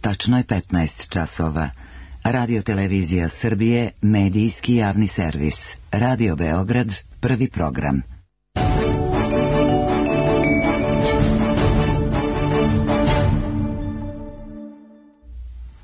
tačno je 15 časova. Radio Televizija Srbije, medijski javni servis. Radio Beograd, prvi program.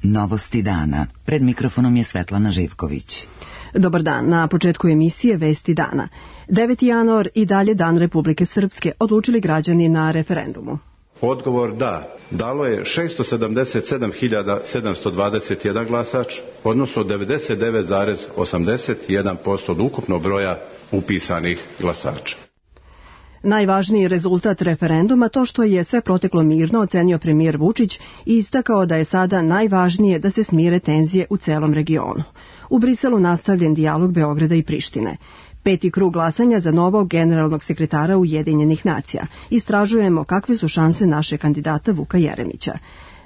Novosti dana. Pred mikrofonom je Svetlana Živković. Dobar dan. Na početku emisije Vesti dana. 9. januar i dalje Dan Republike Srpske, odlučili građani na referendumu. Odgovor da. Dalo je 677.721 glasač, odnosno 99,81% od ukupnog broja upisanih glasača. Najvažniji rezultat referenduma to što je sve proteklo mirno, ocenio premijer Vučić i istakao da je sada najvažnije da se smire tenzije u celom regionu. U Briselu nastavljen dijalog Beograda i Prištine. 5. krug glasanja za novog generalnog sekretara Ujedinjenih nacija. Istražujemo kakve su šanse naše kandidata Vuka Jeremića.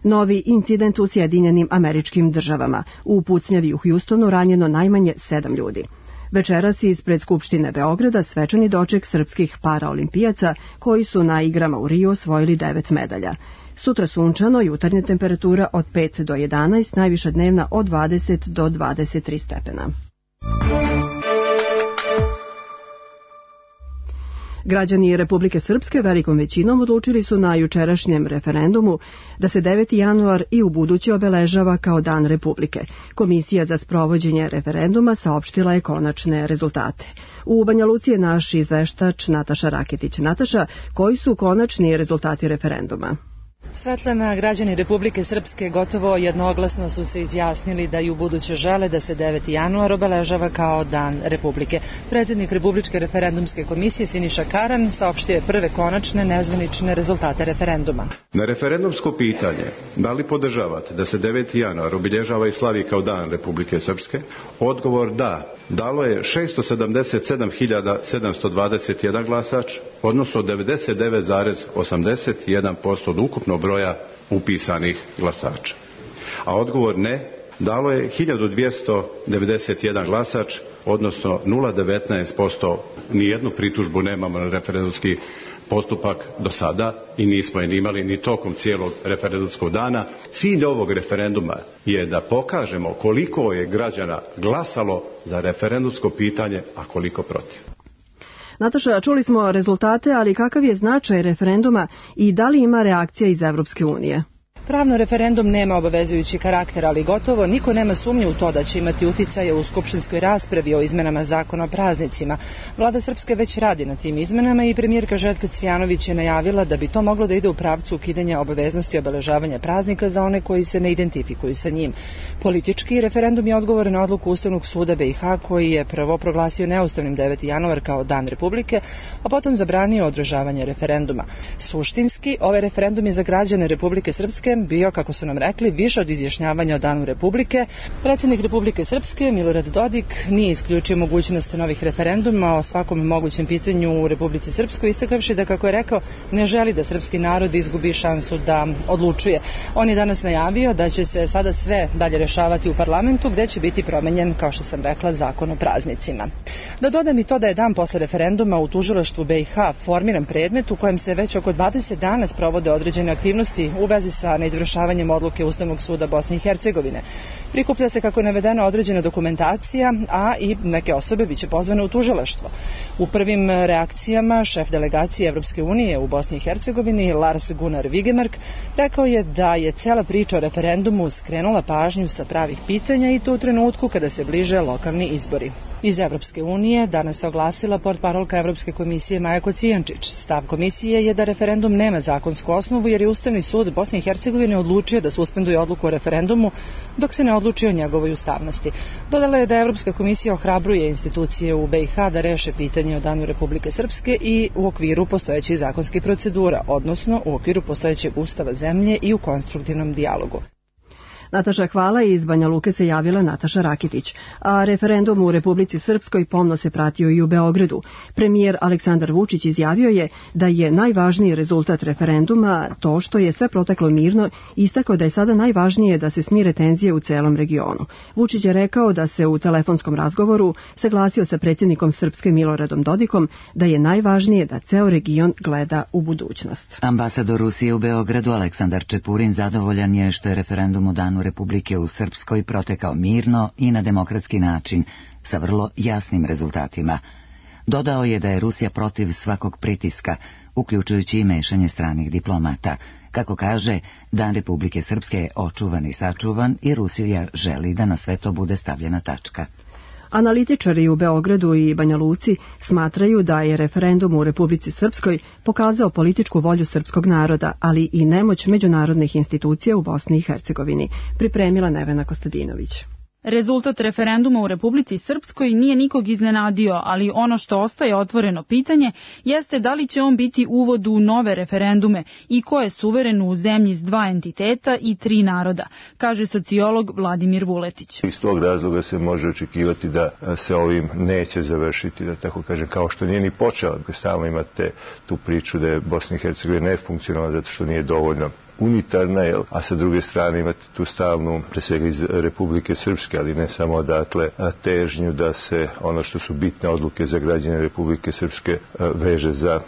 Novi incident u Sjedinjenim Američkim Državama. U pucnjavi u Hjustonu ranjeno najmanje 7 ljudi. Večeras ispred Skupštine Beograda svečani doček srpskih paraolimpijaca koji su na igrama u Riju osvojili 9 medalja. Sutra sunčano, jutarnja temperatura od 5 do 11, najviša dnevna od 20 do 23 stepena. Građani Republike Srpske velikom većinom odlučili su na jučerašnjem referendumu da se 9. januar i ubuduće obeležava kao Dan Republike. Komisija za sprovođenje referenduma saopštila je konačne rezultate. U Banja Luci je naš izveštač Nataša Raketić. Nataša, koji su konačni rezultati referenduma? Svetlana, građani Republike Srpske gotovo jednoglasno su se izjasnili da i ubuduće žele da se 9. januar obeležava kao Dan Republike. Predsjednik Republičke referendumske komisije Siniša Karan saopštio je prve konačne nezvanične rezultate referenduma. Na referendumsko pitanje, da li podržavate da se 9. januar obilježava i slavi kao Dan Republike Srpske, odgovor da. Dalo je 677.721 glasač, odnosno 99,81% od ukupnog broja upisanih glasača. A odgovor ne dalo je 1291 glasač, odnosno 0,19%. Nijednu pritužbu nemamo na referendumski postupak do sada i nismo je imali ni tokom cijelog referendumskog dana. Cilj ovog referenduma je da pokažemo koliko je građana glasalo za referendumsko pitanje, a koliko protiv. Nataša, čuli smo rezultate, ali kakav je značaj referenduma i da li ima reakcija iz Evropske unije? Pravno referendum nema obavezujući karakter, ali gotovo niko nema sumnje u to da će imati uticaje u skupštinskoj raspravi o izmenama zakona o praznicima. Vlada Srpske već radi na tim izmenama i premijerka Željka Cvijanović je najavila da bi to moglo da ide u pravcu ukidanja obaveznosti obeležavanja praznika za one koji se ne identifikuju sa njim. Politički referendum je odgovor na odluku Ustavnog suda BiH koji je prvo proglasio neustavnim 9. januar kao Dan Republike, a potom zabranio održavanje referenduma. Suštinski, ovaj referendum je za građane Republike Srpske bio, kako su nam rekli, više od izjašnjavanja o Danu Republike. Predsjednik Republike Srpske, Milorad Dodik, nije isključio mogućnost novih referenduma o svakom mogućem pitanju u Republici Srpskoj, istakavši da, kako je rekao, ne želi da srpski narod izgubi šansu da odlučuje. On je danas najavio da će se sada sve dalje rešavati u parlamentu, gde će biti promenjen, kao što sam rekla, zakon o praznicima. Da dodam i to da je dan posle referenduma u tužilaštvu BiH formiran predmet u kojem se već oko 20 dana sprovode određene aktivnosti u vezi sa neizvršavanjem odluke Ustavnog suda Bosne i Hercegovine. Prikuplja se, kako je navedena, određena dokumentacija, a i neke osobe biće pozvane u tužilaštvo. U prvim reakcijama šef delegacije Evropske unije u Bosni i Hercegovini, Lars Gunnar Vigemark, rekao je da je cela priča o referendumu skrenula pažnju sa pravih pitanja i to u trenutku kada se bliže lokalni izbori. Iz Evropske unije danas se oglasila portparolka Evropske komisije Maja Kocijančić. Stav komisije je da referendum nema zakonsku osnovu jer je Ustavni sud Bosne i Hercegovine odlučio da suspenduje odluku o referendumu dok se ne odluči o njegovoj ustavnosti. Dodala je da Evropska komisija ohrabruje institucije u BiH da reše pitanje o Danu Republike Srpske i u okviru postojećih zakonskih procedura, odnosno u okviru postojećeg ustava zemlje i u konstruktivnom dijalogu. Nataša, hvala. Iz Banja Luke se javila Nataša Rakitić. A referendum u Republici Srpskoj pomno se pratio i u Beogradu. Premijer Aleksandar Vučić izjavio je da je najvažniji rezultat referenduma to što je sve proteklo mirno i istakao da je sada najvažnije da se smire tenzije u celom regionu. Vučić je rekao da se u telefonskom razgovoru saglasio sa predsjednikom Srpske Miloradom Dodikom da je najvažnije da ceo region gleda u budućnost. Ambasador Rusije u Beogradu Aleksandar Čepurin zadovoljan je što je referendum u Danu Republike u Srpskoj protekao mirno i na demokratski način, sa vrlo jasnim rezultatima. Dodao je da je Rusija protiv svakog pritiska, uključujući i mešanje stranih diplomata. Kako kaže, Dan Republike Srpske je očuvan i sačuvan i Rusija želi da na sve to bude stavljena tačka. Analitičari u Beogradu i Banja Luci smatraju da je referendum u Republici Srpskoj pokazao političku volju srpskog naroda, ali i nemoć međunarodnih institucija u Bosni i Hercegovini, pripremila Nevena Kostadinović. Rezultat referenduma u Republici Srpskoj nije nikog iznenadio, ali ono što ostaje otvoreno pitanje jeste da li će on biti uvod u nove referendume i ko je suveren u zemlji s dva entiteta i tri naroda, kaže sociolog Vladimir Vuletić. Iz tog razloga se može očekivati da se ovim neće završiti, da tako kažem, kao što nije ni počeo. Stalno imate tu priču da je Bosna i Hercegovina nefunkcionalna zato što nije dovoljno unitarna, a sa druge strane imate tu stalnu, pre svega iz Republike Srpske, ali ne samo odatle, težnju da se ono što su bitne odluke za građane Republike Srpske veže za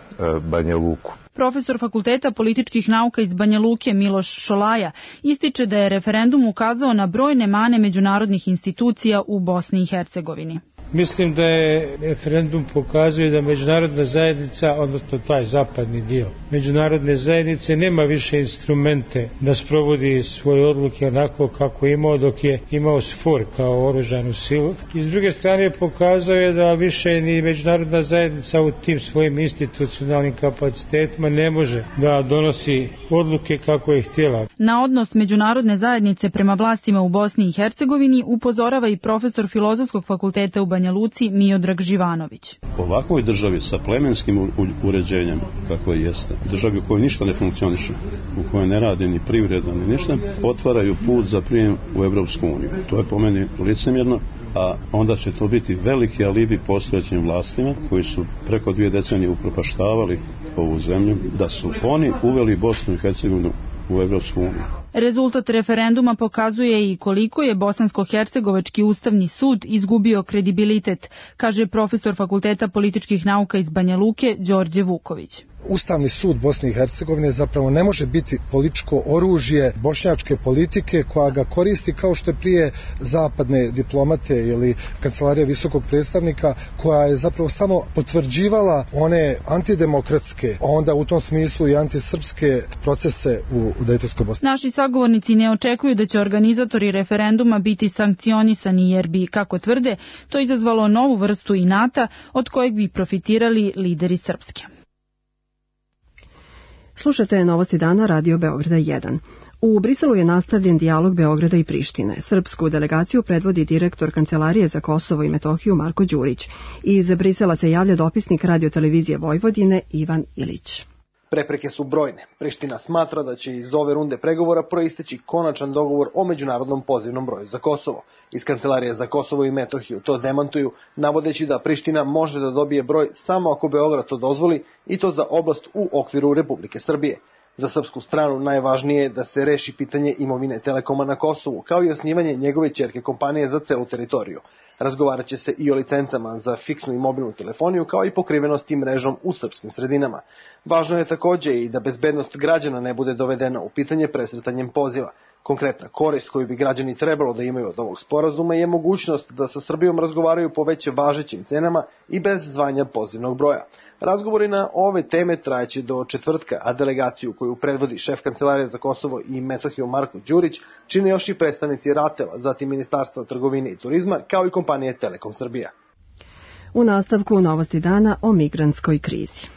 Banja Luku. Profesor Fakulteta političkih nauka iz Banja Luke Miloš Šolaja ističe da je referendum ukazao na brojne mane međunarodnih institucija u Bosni i Hercegovini. Mislim da je referendum pokazuje da međunarodna zajednica, odnosno taj zapadni dio međunarodne zajednice, nema više instrumente da sprovodi svoje odluke onako kako je imao dok je imao SFOR kao oružanu silu. I s druge strane pokazao je da više ni međunarodna zajednica u tim svojim institucionalnim kapacitetima ne može da donosi odluke kako je htjela. Na odnos međunarodne zajednice prema vlastima u Bosni i Hercegovini upozorava i profesor Filozofskog fakulteta u Banja Luci Miodrag Živanović. Ovakvoj državi sa plemenskim uređenjem, kako jeste, državi u kojoj ništa ne funkcioniše, u kojoj ne radi ni privreda ni ništa, otvaraju put za prijem u Evropsku uniju. To je po meni licemjerno, a onda će to biti veliki alibi postojećim vlastima koji su preko 2 decenije upropaštavali ovu zemlju, da su oni uveli Bosnu i Hercegovinu u Evropsku uniju. Rezultat referenduma pokazuje i koliko je Bosansko-hercegovački ustavni sud izgubio kredibilitet, kaže profesor Fakulteta političkih nauka iz Banja Luke Đorđe Vuković. Ustavni sud Bosne i Hercegovine zapravo ne može biti političko oružje bošnjačke politike koja ga koristi kao što je prije zapadne diplomate ili kancelarija visokog predstavnika, koja je zapravo samo potvrđivala one antidemokratske, onda u tom smislu i antisrpske procese u Dejtonskoj Bosni. Naši sagovornici ne očekuju da će organizatori referenduma biti sankcionisani jer bi, kako tvrde, to izazvalo novu vrstu inata od kojeg bi profitirali lideri Srpske. Slušate Novosti dana Radio Beograda 1. U Briselu je nastavljen dijalog Beograda i Prištine. Srpsku delegaciju predvodi direktor Kancelarije za Kosovo i Metohiju Marko Đurić. Iz Brisela se javlja dopisnik radiotelevizije Vojvodine Ivan Ilić. Prepreke su brojne. Priština smatra da će iz ove runde pregovora proisteći konačan dogovor o međunarodnom pozivnom broju za Kosovo. Iz Kancelarije za Kosovo i Metohiju to demantuju, navodeći da Priština može da dobije broj samo ako Beograd to dozvoli, i to za oblast u okviru Republike Srbije. Za srpsku stranu najvažnije je da se reši pitanje imovine Telekoma na Kosovu, kao i osnivanje njegove ćerke kompanije za celu teritoriju. Razgovarat će se i o licencama za fiksnu i mobilnu telefoniju, kao i pokrivenosti mrežom u srpskim sredinama. Važno je također i da bezbednost građana ne bude dovedena u pitanje presretanjem poziva. Konkretna korist koju bi građani trebalo da imaju od ovog sporazuma je mogućnost da sa Srbijom razgovaraju po već važećim cenama i bez zvanja pozivnog broja. Razgovori na ove teme trajeće do četvrtka, a delegaciju koju predvodi šef Kancelarije za Kosovo i Metohiju Marko Đurić čine još i predstavnici RATEL-a, zatim Ministarstva trgovine i turizma, kao i kompanije Telekom Srbija. U nastavku Novosti dana o migrantskoj krizi.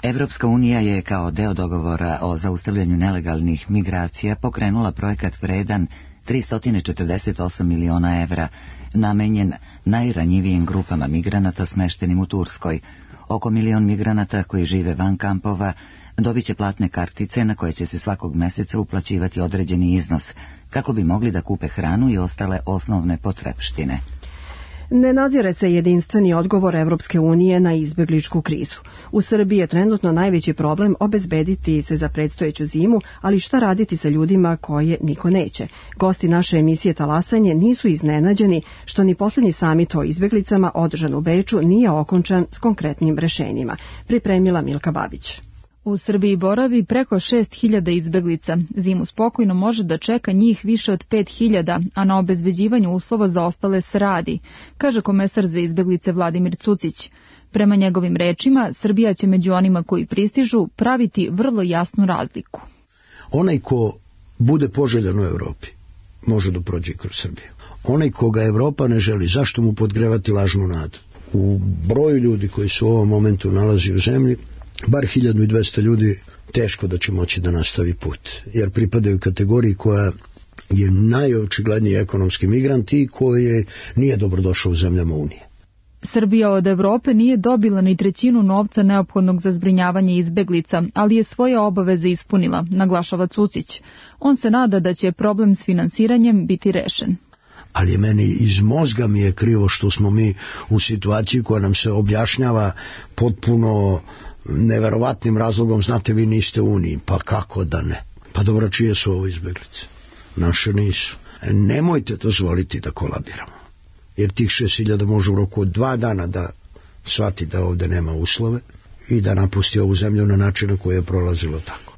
Evropska unija je kao deo dogovora o zaustavljanju nelegalnih migracija pokrenula projekat vredan 348 miliona evra, namenjen najranjivijim grupama migranata smeštenim u Turskoj. Oko 1 milion migranata koji žive van kampova dobit će platne kartice na koje će se svakog meseca uplaćivati određeni iznos, kako bi mogli da kupe hranu i ostale osnovne potrepštine. Ne nadzire se jedinstveni odgovor Evropske unije na izbegličku krizu. U Srbiji je trenutno najveći problem obezbediti se za predstojeću zimu, ali šta raditi sa ljudima koje niko neće? Gosti naše emisije Talasanje nisu iznenađeni što ni poslednji samit o izbeglicama održan u Beču nije okončan s konkretnim rešenjima. Pripremila Milka Babić. U Srbiji boravi preko 6.000 izbeglica. Zimu spokojno može da čeka njih više od 5.000, a na obezbeđivanju uslova za ostale se radi, kaže komesar za izbeglice Vladimir Cucić. Prema njegovim rečima, Srbija će među onima koji pristižu praviti vrlo jasnu razliku. Onaj ko bude poželjan u Evropi, može da prođe kroz Srbiju. Onaj koga Evropa ne želi, zašto mu podgrevati lažnu nadu? U broju ljudi koji se u ovom momentu nalazi u zemlji, bar 1200 ljudi teško da će moći da nastavi put, jer pripadaju kategoriji koja je najočigledniji ekonomski migrant i koji nije dobrodošao u zemljama Unije. Srbija od Evrope nije dobila ni trećinu novca neophodnog za zbrinjavanje izbeglica, ali je svoje obaveze ispunila, naglašava Cucić. On se nada da će problem s finansiranjem biti rešen. Ali je meni iz mozga mi je krivo što smo mi u situaciji koja nam se objašnjava potpuno neverovatnim razlogom, znate, vi niste u Uniji. Pa kako da ne? Pa dobro, čije su ovo izbeglice? Naše nisu. Nemojte dozvoliti da kolabiramo. Jer tih 6.000 može u roku od 2 dana da shvati da ovde nema uslove i da napusti ovu zemlju na način na koji je prolazilo tako.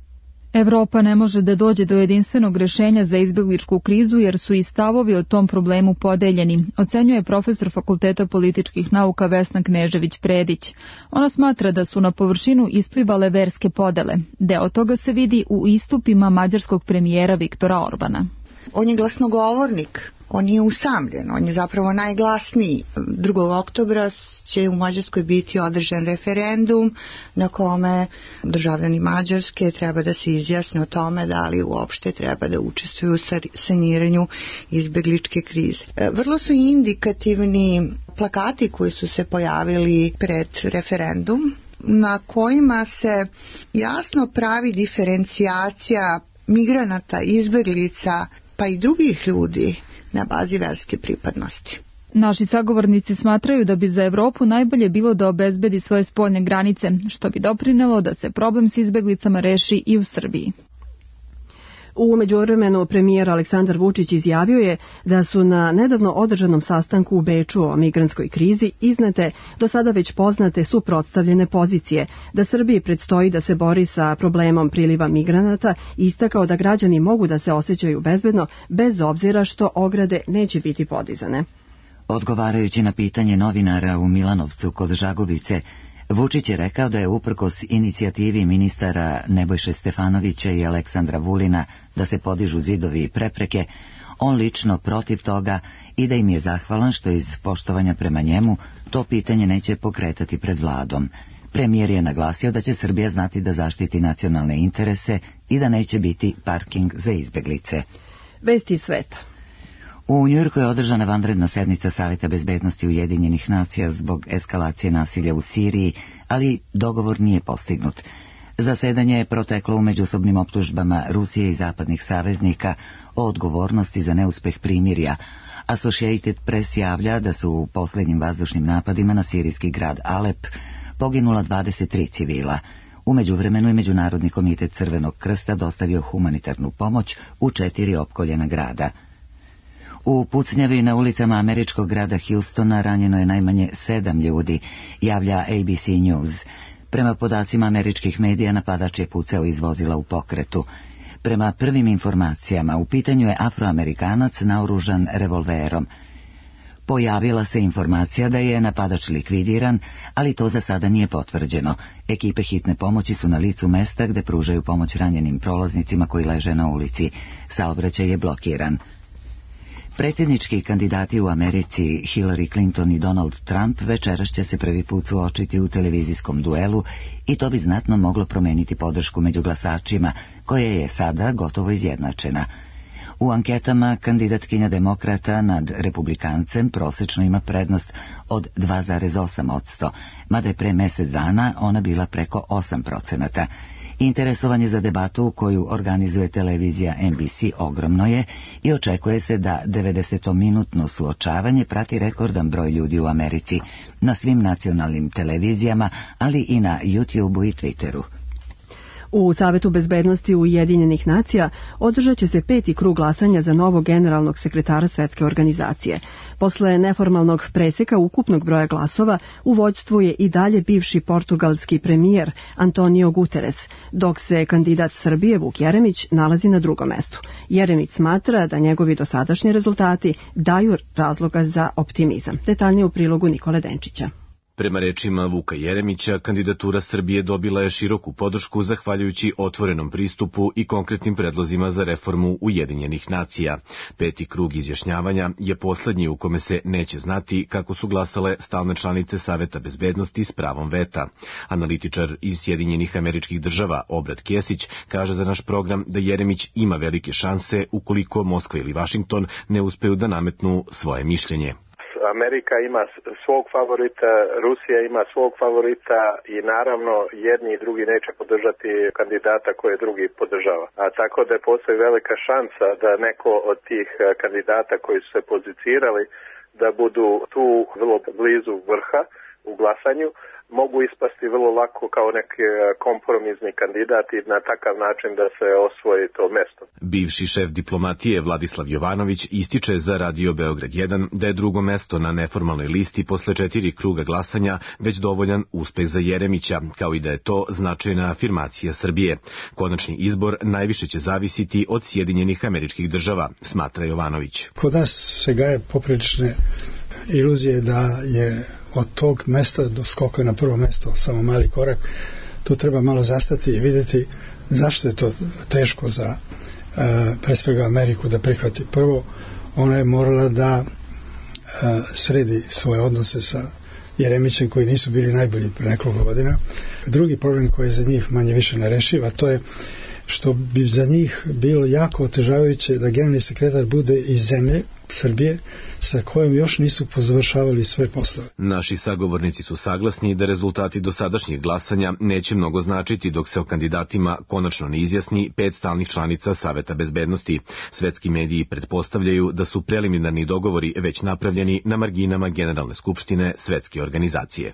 Evropa ne može da dođe do jedinstvenog rešenja za izbegličku krizu jer su i stavovi o tom problemu podeljeni, ocenjuje profesor Fakulteta političkih nauka Vesna Knežević-Predić. Ona smatra da su na površinu isplivale verske podele. Deo toga se vidi u istupima mađarskog premijera Viktora Orbana. On je glasnogovornik, on nije usamljen, on je zapravo najglasniji. 2. oktobra će u Mađarskoj biti održan referendum na kome državljani Mađarske treba da se izjasne o tome da li uopšte treba da učestvuju u saniranju izbegličke krize. Vrlo su indikativni plakati koji su se pojavili pred referendum, na kojima se jasno pravi diferencijacija migranata, izbeglica pa i drugih ljudi na bazi verske pripadnosti. Naši sagovornici smatraju da bi za Evropu najbolje bilo da obezbedi svoje spoljne granice, što bi doprinelo da se problem s izbeglicama reši i u Srbiji. U međuvremenu premijer Aleksandar Vučić izjavio je da su na nedavno održanom sastanku u Beču o migrantskoj krizi iznete do sada već poznate suprotstavljene pozicije, da Srbiji predstoji da se bori sa problemom priliva migranata i istakao da građani mogu da se osjećaju bezbedno bez obzira što ograde neće biti podizane. Odgovarajući na pitanje novinara u Milanovcu kod Žagubice, Vučić je rekao da je uprkos inicijativi ministara Nebojše Stefanovića i Aleksandra Vulina da se podižu zidovi i prepreke, on lično protiv toga i da im je zahvalan što iz poštovanja prema njemu to pitanje neće pokretati pred vladom. Premijer je naglasio da će Srbija znati da zaštiti nacionalne interese i da neće biti parking za izbeglice. Vesti sveta. U Njujorku je održana vanredna sednica Saveta bezbednosti Ujedinjenih nacija zbog eskalacije nasilja u Siriji, ali dogovor nije postignut. Zasedanje je proteklo u međusobnim optužbama Rusije i zapadnih saveznika o odgovornosti za neuspeh primirja. Associated Press javlja da su u posljednjim vazdušnim napadima na sirijski grad Alep poginula 23 civila. U međuvremenu je Međunarodni komitet Crvenog krsta dostavio humanitarnu pomoć u 4 opkoljena grada. U pucnjavi na ulicama američkog grada Houstona ranjeno je najmanje 7 ljudi, javlja ABC News. Prema podacima američkih medija, napadač je pucao iz vozila u pokretu. Prema prvim informacijama, u pitanju je Afroamerikanac naoružan revolverom. Pojavila se informacija da je napadač likvidiran, ali to za sada nije potvrđeno. Ekipe hitne pomoći su na licu mesta gde pružaju pomoć ranjenim prolaznicima koji leže na ulici. Saobraćaj je blokiran. Predsjednički kandidati u Americi Hillary Clinton i Donald Trump večeras će se prvi put suočiti u televizijskom duelu i to bi znatno moglo promeniti podršku među glasačima, koja je sada gotovo izjednačena. U anketama kandidatkinja demokrata nad republikancem prosečno ima prednost od 2,8%, mada je pre mesec dana ona bila preko 8%. Interesovanje za debatu koju organizuje televizija NBC ogromno je i očekuje se da 90-minutno suočavanje prati rekordan broj ljudi u Americi na svim nacionalnim televizijama, ali i na YouTubeu i Twitteru. U Savetu bezbednosti Ujedinjenih nacija održat će se 5. krug glasanja za novog generalnog sekretara Svetske organizacije. Posle neformalnog preseka ukupnog broja glasova u vođstvu je i dalje bivši portugalski premijer Antonio Guterres, dok se kandidat Srbije Vuk Jeremić nalazi na drugom mestu. Jeremić smatra da njegovi dosadašnji rezultati daju razloga za optimizam. Detaljnije u prilogu Nikole Denčića. Prema rečima Vuka Jeremića, kandidatura Srbije dobila je široku podršku zahvaljujući otvorenom pristupu i konkretnim predlozima za reformu Ujedinjenih nacija. 5. krug izjašnjavanja je poslednji u kome se neće znati kako su glasale stalne članice Saveta bezbednosti s pravom veta. Analitičar iz Sjedinjenih Američkih Država Obrat Kesić kaže za naš program da Jeremić ima velike šanse ukoliko Moskva ili Vašington ne uspeju da nametnu svoje mišljenje. Amerika ima svog favorita, Rusija ima svog favorita i naravno jedni i drugi neće podržati kandidata koje drugi podržava. A tako da postoji velika šansa da neko od tih kandidata koji su se pozicirali da budu tu vrlo blizu vrha u glasanju, mogu ispasti vrlo lako kao neki kompromisni kandidat i na takav način da se osvoji to mesto. Bivši šef diplomatije Vladislav Jovanović ističe za Radio Beograd 1 da je drugo mesto na neformalnoj listi posle 4 kruga glasanja već dovoljan uspeh za Jeremića, kao i da je to značajna afirmacija Srbije. Konačni izbor najviše će zavisiti od Sjedinjenih Američkih Država, smatra Jovanović. Kod nas se gaje poprilične iluzije da je od tog mesta do skoka na prvo mesto samo mali korak. Tu treba malo zastati i vidjeti zašto je to teško za pre svega Ameriku da prihvati. Prvo, ona je morala da sredi svoje odnose sa Jeremićem koji nisu bili najbolji pre nekoliko godina. Drugi problem koji je za njih manje više nerešiv, a to je što bi za njih bilo jako otežavajuće da generalni sekretar bude iz zemlje Srbije sa kojom još nisu pozavršavali sve poslove. Naši sagovornici su saglasni da rezultati dosadašnjeg glasanja neće mnogo značiti dok se o kandidatima konačno ne izjasni 5 stalnih članica Saveta bezbednosti. Svetski mediji pretpostavljaju da su preliminarni dogovori već napravljeni na marginama Generalne skupštine Svetske organizacije.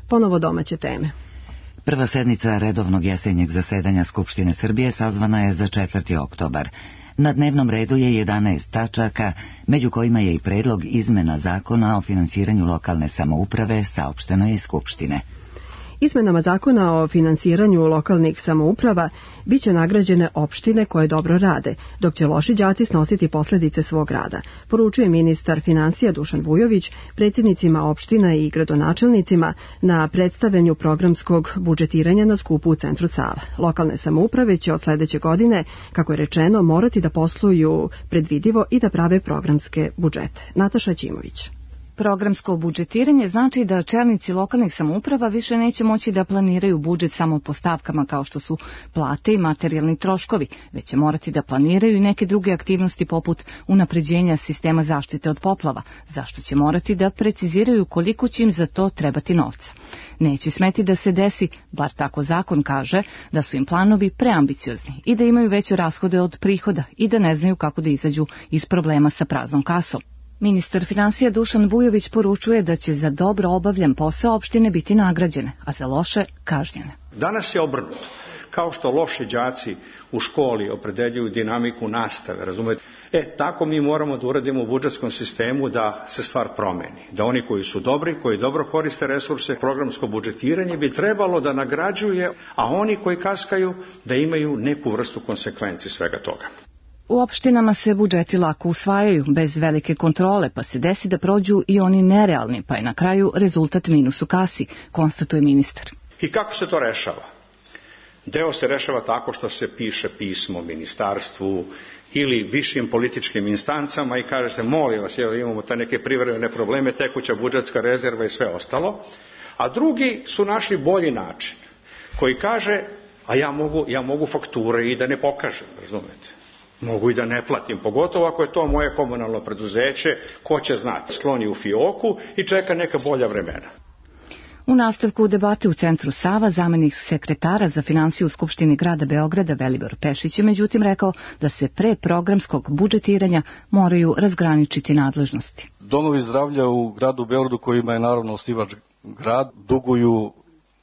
Ponovo domaće teme. Prva sednica redovnog jesenjeg zasedanja Skupštine Srbije sazvana je za 4. oktobar. Na dnevnom redu je 11 tačaka, među kojima je i predlog izmena zakona o finansiranju lokalne samouprave, saopšteno je iz Skupštine. Izmenama zakona o finansiranju lokalnih samouprava biće nagrađene opštine koje dobro rade, dok će loši đaci snositi posljedice svog rada, poručuje ministar finansija Dušan Vujović predsjednicima opština i gradonačelnicima na predstavljanju programskog budžetiranja na skupu u centru Sava. Lokalne samouprave će od sledeće godine, kako je rečeno, morati da posluju predvidivo i da prave programske budžete. Nataša Ćimović. Programsko budžetiranje znači da čelnici lokalnih samouprava više neće moći da planiraju budžet samo po stavkama kao što su plate i materijalni troškovi, već će morati da planiraju i neke druge aktivnosti poput unapređenja sistema zaštite od poplava, zašto će morati da preciziraju koliko će im za to trebati novca. Neće smeti da se desi, bar tako zakon kaže, da su im planovi preambiciozni i da imaju veće rashode od prihoda i da ne znaju kako da izađu iz problema sa praznom kasom. Ministar finansija Dušan Vujović poručuje da će za dobro obavljen posao opštine biti nagrađene, a za loše kažnjene. Danas je obrnuto. Kao što loši đaci u školi opredeljuju dinamiku nastave, razumete? Tako mi moramo da uradimo u budžetskom sistemu da se stvar promeni. Da oni koji su dobri, koji dobro koriste resurse, programsko budžetiranje bi trebalo da nagrađuje, a oni koji kaskaju da imaju neku vrstu konsekvenci svega toga. U opštinama se budžeti lako usvajaju, bez velike kontrole, pa se desi da prođu i oni nerealni, pa je na kraju rezultat minus u kasi, konstatuje ministar. I kako se to rešava? Deo se rešava tako što se piše pismo ministarstvu ili višim političkim instancama i kaže se, molim vas, imamo te neke privremene probleme, tekuća budžetska rezerva i sve ostalo. A drugi su našli bolji način, koji kaže, A ja mogu fakture i da ne pokažem, razumete? Mogu i da ne platim, pogotovo ako je to moje komunalno preduzeće, ko će znati, skloni u fioku i čeka neka bolja vremena. U nastavku debate u Centru Sava zamenik sekretara za finansije u Skupštini grada Beograda Velibor Pešić je međutim rekao da se pre programskog budžetiranja moraju razgraničiti nadležnosti. Domovi zdravlja u gradu Beogradu, kojima je naravno osnivač grad, duguju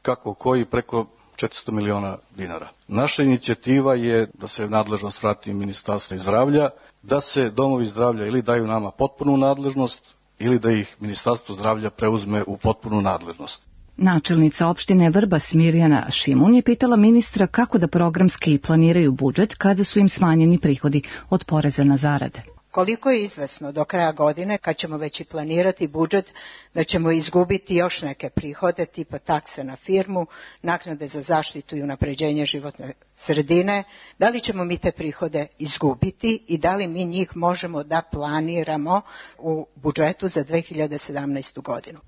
kako koji preko 400 miliona dinara. Naša inicijativa je da se nadležnost vrati Ministarstvu zdravlja, da se domovi zdravlja ili daju nama potpunu nadležnost ili da ih Ministarstvo zdravlja preuzme u potpunu nadležnost. Načelnica opštine Vrbas Mirjana Šimun je pitala ministra kako da programski planiraju budžet kada su im smanjeni prihodi od poreza na zarade. Koliko je izvesno do kraja godine, kad ćemo već i planirati budžet, da ćemo izgubiti još neke prihode, tipa takse na firmu, naknade za zaštitu i unapređenje životne sredine, da li ćemo mi te prihode izgubiti i da li mi njih možemo da planiramo u budžetu za 2017. godinu.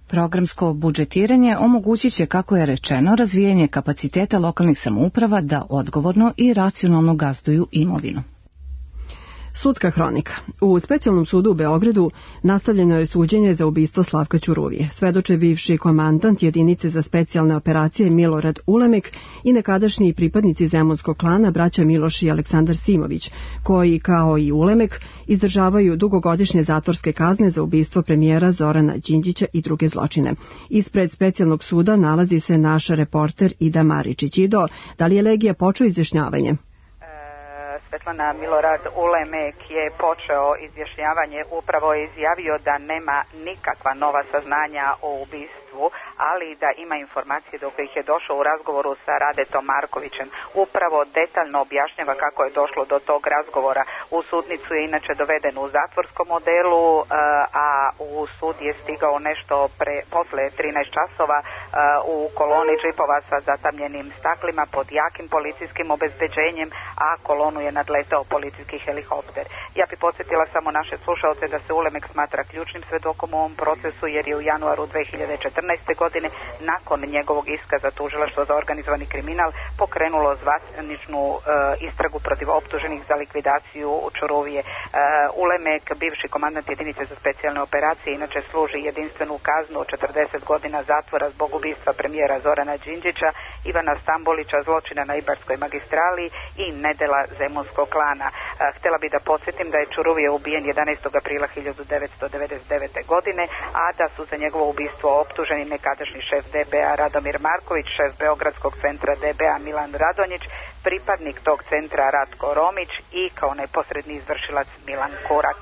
Programsko budžetiranje omogućit će, kako je rečeno, razvijanje kapaciteta lokalnih samouprava da odgovorno i racionalno gazduju imovinu. Sudska hronika. U Specijalnom sudu u Beogradu nastavljeno je suđenje za ubistvo Slavka Ćuruvije. Svedoče bivši komandant jedinice za specijalne operacije Milorad Ulemek i nekadašnji pripadnici zemunskog klana braća Miloš i Aleksandar Simović, koji, kao i Ulemek, izdržavaju dugogodišnje zatvorske kazne za ubistvo premijera Zorana Đinđića i druge zločine. Ispred Specijalnog suda nalazi se naš reporter Ida Maričić. Ido, da li je Legija počeo izjašnjavanje? Svetlana, Milorad Ulemek je počeo izjašnjavanje, upravo je izjavio da nema nikakva nova saznanja o ubistvu, ali da ima informacije do kojih je došao u razgovoru sa Radetom Markovićem. Upravo detaljno objašnjava kako je došlo do tog razgovora. U sudnicu je inače doveden u zatvorskom modelu, a u sud je stigao nešto posle 13 časova u koloni džipova sa zatamljenim staklima pod jakim policijskim obezbeđenjem, a kolonu je nadletao policijski helikopter. Ja bi podsjetila samo naše slušaoce da se Ulemek smatra ključnim svedokom u ovom procesu, jer je u januaru 2014. godine nakon njegovog iska za tužilaštvo za organizovani kriminal pokrenulo zvaničnu istragu protiv optuženih za likvidaciju Ćuruvije. Ulemek, bivši komandant jedinice za specijalne operacije, inače služi jedinstvenu kaznu od 40 godina zatvora zbog ubistva premijera Zorana Đinđića, Ivana Stambolića, zločina na Ibarskoj magistrali i nedela zemunskog klana. Htjela bi da podsjetim da je Ćuruvije ubijen 11. aprila 1999. godine, a da su za njegovo ubistvo optuženi nekadašnji šef DBA Radomir Marković, šef Beogradskog centra DBA Milan Radonjić, pripadnik tog centra Ratko Romić i kao neposredni izvršilac Milan Kurak.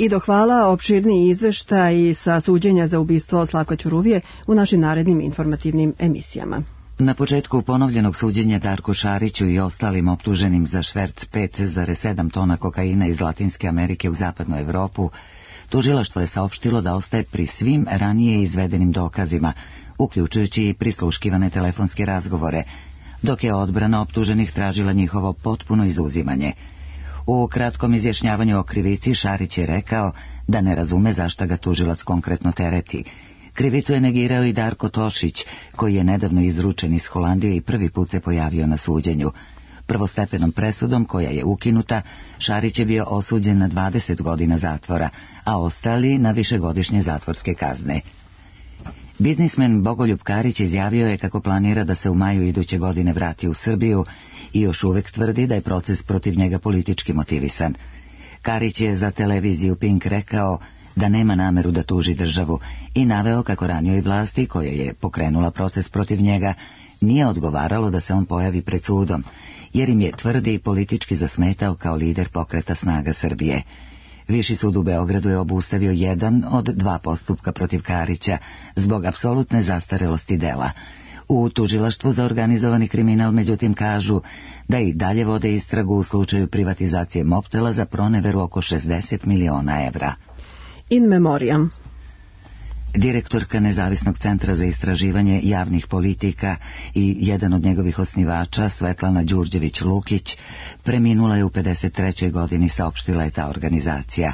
Ido, hvala. Opširniji izveštaj sa suđenja za ubistvo Slavka Ćuruvije u našim narednim informativnim emisijama. Na početku ponovljenog suđenja Darku Šariću i ostalim optuženim za šverc 5,7 tona kokaina iz Latinske Amerike u zapadnu Evropu, tužilaštvo je saopštilo da ostaje pri svim ranije izvedenim dokazima, uključujući i prisluškivane telefonske razgovore, dok je odbrana optuženih tražila njihovo potpuno izuzimanje. U kratkom izjašnjavanju o krivici Šarić je rekao da ne razume zašto ga tužilac konkretno tereti. Krivicu je negirao i Darko Tošić, koji je nedavno izručen iz Holandije i prvi put se pojavio na suđenju. Prvostepenom presudom, koja je ukinuta, Šarić je bio osuđen na 20 godina zatvora, a ostali na višegodišnje zatvorske kazne. Biznismen Bogoljub Karić izjavio je kako planira da se u maju iduće godine vrati u Srbiju i još uvek tvrdi da je proces protiv njega politički motivisan. Karić je za televiziju Pink rekao da nema nameru da tuži državu i naveo kako ranijoj vlasti, koja je pokrenula proces protiv njega, nije odgovaralo da se on pojavi pred sudom, jer im je, tvrdi, politički zasmetao kao lider pokreta Snaga Srbije. Viši sud u Beogradu je obustavio jedan od 2 postupka protiv Karića zbog apsolutne zastarelosti dela. U tužilaštvu za organizovani kriminal međutim kažu da i dalje vode istragu u slučaju privatizacije Mobtela za proneveru oko 60 miliona evra. In memoriam. Direktorka Nezavisnog centra za istraživanje javnih politika i jedan od njegovih osnivača, Svetlana Đurđević-Lukić, preminula je u 53. godini, saopštila je ta organizacija.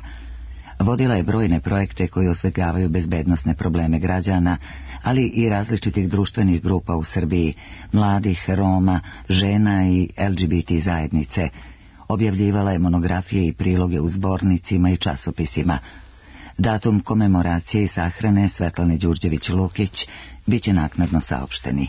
Vodila je brojne projekte koji osvetljavaju bezbednosne probleme građana, ali i različitih društvenih grupa u Srbiji, mladih, Roma, žena i LGBT zajednice. Objavljivala je monografije i priloge u zbornicima i časopisima. Datum komemoracije i sahrane Svetlane Đurđević-Lukić biće naknadno saopšteni.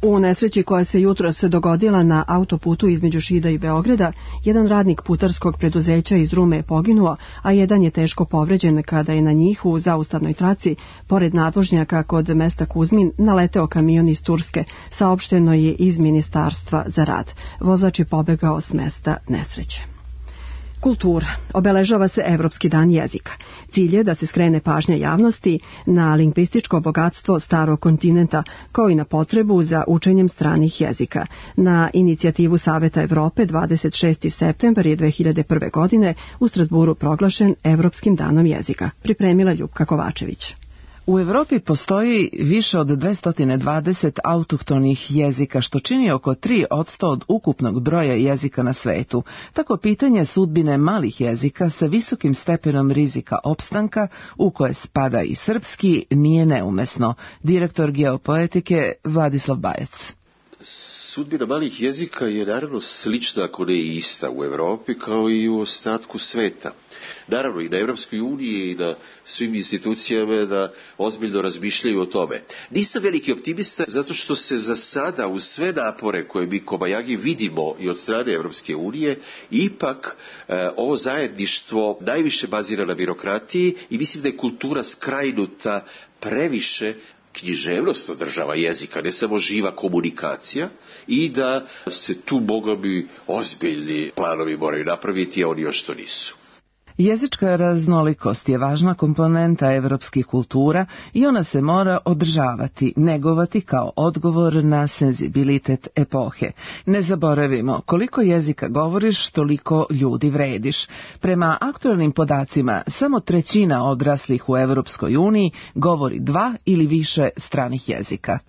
U nesreći koja se jutros dogodila na autoputu između Šida i Beograda, jedan radnik putarskog preduzeća iz Rume je poginuo, a jedan je teško povređen kada je na njih u zaustavnoj traci, pored nadvožnjaka kod mesta Kuzmin, naleteo kamion iz Turske, saopšteno je iz Ministarstva za rad. Vozač je pobegao s mesta nesreće. Kultura. Obeležava se Evropski dan jezika. Cilj je da se skrene pažnja javnosti na lingvističko bogatstvo starog kontinenta, kao i na potrebu za učenjem stranih jezika. Na inicijativu Saveta Evrope 26. septembar je 2001. godine u Strasburu proglašen Evropskim danom jezika. Pripremila Ljupka Kovačević. U Evropi postoji više od 220 autohtonih jezika, što čini oko 3% od ukupnog broja jezika na svetu. Tako pitanje sudbine malih jezika sa visokim stepenom rizika opstanka, u koje spada i srpski, nije neumesno. Direktor geopoetike Vladislav Bajac. Sudbina malih jezika je naravno slična, ako ne i ista u Evropi, kao i u ostatku sveta. Naravno i na Evropskoj uniji i na svim institucijama da ozbiljno razmišljaju o tome. Nisam veliki optimista zato što se za sada uz sve napore koje mi kobajagi vidimo i od strane Evropske unije, ipak ovo zajedništvo najviše bazira na birokratiji i mislim da je kultura skrajnuta previše književnost održava jezika, ne samo živa komunikacija, i da se tu bogovi ozbiljni planovi moraju napraviti, a oni još to nisu. Jezička raznolikost je važna komponenta evropskih kultura i ona se mora održavati, negovati kao odgovor na senzibilitet epohe. Ne zaboravimo, koliko jezika govoriš, toliko ljudi vrediš. Prema aktualnim podacima, samo 1/3 odraslih u Evropskoj uniji govori 2 ili više stranih jezika.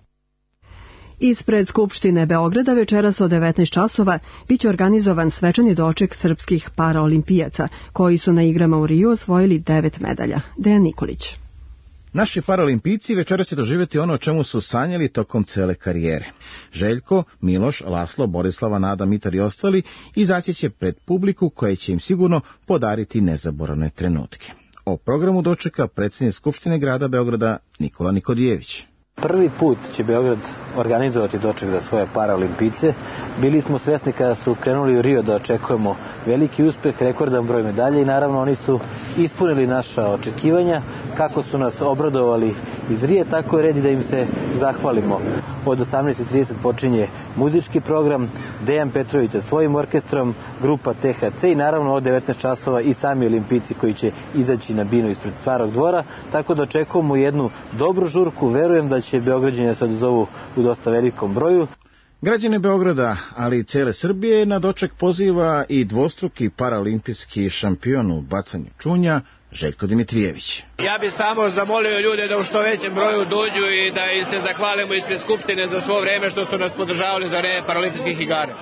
Ispred Skupštine Beograda večeras od 19 časova biće organizovan svečani doček srpskih paraolimpijaca, koji su na igrama u Riju osvojili 9 medalja. Dejan Nikolić. Naši paraolimpijci večeras će doživjeti ono o čemu su sanjali tokom cele karijere. Željko, Miloš, Laslo, Borislava, Nada, Mitar i ostali izaći će pred publiku koja će im sigurno podariti nezaboravne trenutke. O programu dočeka predsjednik Skupštine grada Beograda Nikola Nikodijević. Prvi put će Beograd organizovati doček za svoje paraolimpijce. Bili smo svesni kada su krenuli u Rio da očekujemo veliki uspeh, rekordan broj medalja i naravno oni su ispunili naša očekivanja. Kako su nas obradovali iz Rije, tako je red da im se zahvalimo. Od 18:30 počinje muzički program, Dejan Petrović sa svojim orkestrom, grupa THC i naravno od 19 časova i sami olimpijci koji će izaći na binu ispred Starog dvora, tako da očekujemo jednu dobru žurku. Verujem da će Beograđani se odazovu u dosta velikom broju. Građane Beograda, ali i cele Srbije, na doček poziva i dvostruki paraolimpijski šampion u bacanju čunja Željko Dimitrijević. Ja bih samo zamolio ljude da u što većem broju dođu i da im se zahvalimo ispred Skupštine za svo vreme što su nas podržavali za vreme paraolimpijskih igara.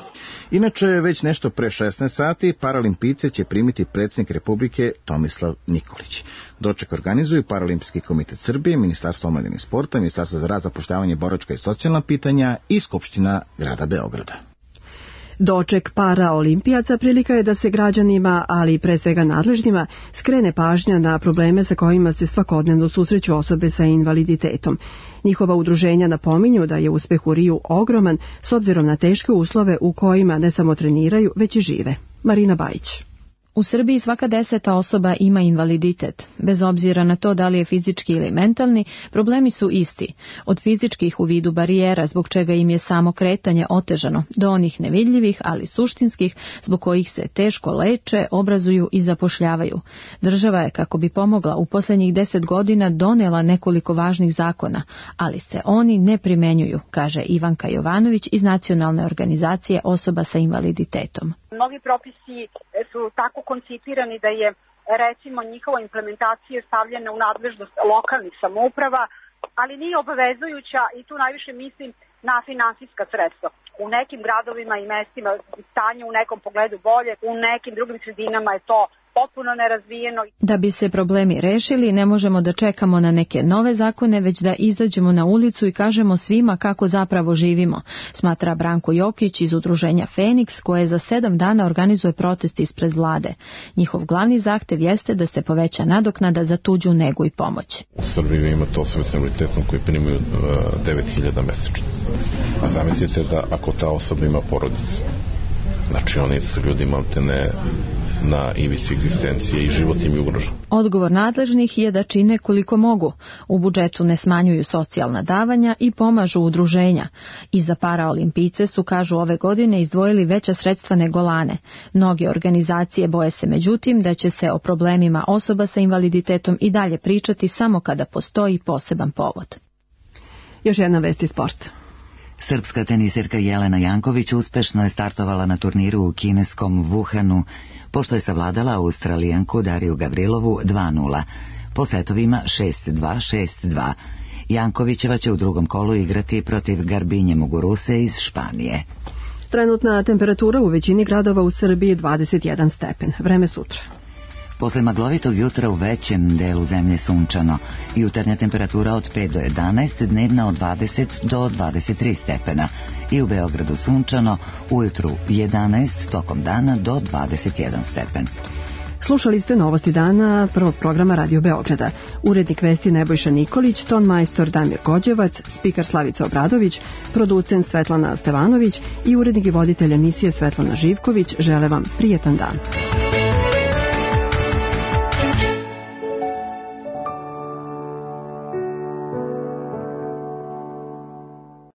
Inače, već nešto pre 16 sati paraolimpijce će primiti predsjednik Republike Tomislav Nikolić. Doček organizuju Paraolimpijski komitet Srbije, Ministarstvo omladine i sporta, Ministarstvo za rad, zapošljavanje, boračka i socijalna pitanja i Skupština grada Beograda. Doček paraolimpijaca prilika je da se građanima, ali pre svega nadležnima, skrene pažnja na probleme sa kojima se svakodnevno susreću osobe sa invaliditetom. Njihova udruženja napominju da je uspeh u Riju ogroman s obzirom na teške uslove u kojima ne samo treniraju, već i žive. Marina Bajić. U Srbiji svaka 10. osoba ima invaliditet. Bez obzira na to da li je fizički ili mentalni, problemi su isti. Od fizičkih u vidu barijera, zbog čega im je samo kretanje otežano, do onih nevidljivih, ali suštinskih, zbog kojih se teško leče, obrazuju i zapošljavaju. Država je, kako bi pomogla, u posljednjih 10 godina donela nekoliko važnih zakona, ali se oni ne primenjuju, kaže Ivanka Jovanović iz Nacionalne organizacije osoba sa invaliditetom. Mnogi propisi su tako koncipirani da je, recimo, njihova implementacija stavljena u nadležnost lokalnih samouprava, ali nije obavezujuća i tu najviše mislim na finansijska sredstva. U nekim gradovima i mestima stanje u nekom pogledu bolje, u nekim drugim sredinama je to potpuno nerazvijeno. Da bi se problemi rešili, ne možemo da čekamo na neke nove zakone, već da izađemo na ulicu i kažemo svima kako zapravo živimo, smatra Branko Jokić iz udruženja Feniks, koje za 7 dana organizuje protest ispred vlade. Njihov glavni zahtev jeste da se poveća nadoknada za tuđu negu i pomoć. U Srbiji imate osobe s invaliditetom koji primaju 9.000 mesečno. A zamislite da ako ta osoba ima porodicu, znači oni su ljudi maltene na ivici egzistencije i život im je ugrožen. Odgovor nadležnih je da čine koliko mogu. U budžetu ne smanjuju socijalna davanja i pomažu udruženja. I za paraolimpijce su, kažu, ove godine izdvojili veća sredstva nego lane. Mnoge organizacije boje se međutim da će se o problemima osoba sa invaliditetom i dalje pričati samo kada postoji poseban povod. Još jedna vest iz sporta. Srpska tenisirka Jelena Janković uspešno je startovala na turniru u kineskom Wuhanu, pošto je savladala Australijanku Dariju Gavrilovu 2:0, po setovima 6:2, 6:2. Jankovićeva će u drugom kolu igrati protiv Garbinje Muguruse iz Španije. Trenutna temperatura u većini gradova u Srbiji 21 stepen. Vreme sutra. Posle maglovitog jutra u većem delu zemlje sunčano, jutarnja temperatura od 5 do 11, dnevna od 20 do 23 stepena i u Beogradu sunčano, ujutru 11, tokom dana do 21 stepen. Slušali ste novosti dana prvog programa Radio Beograda. Urednik vesti Nebojša Nikolić, ton majstor Damir Gođevac, spikar Slavica Obradović, producent Svetlana Stevanović i urednik i voditelj emisije Svetlana Živković žele vam prijetan dan.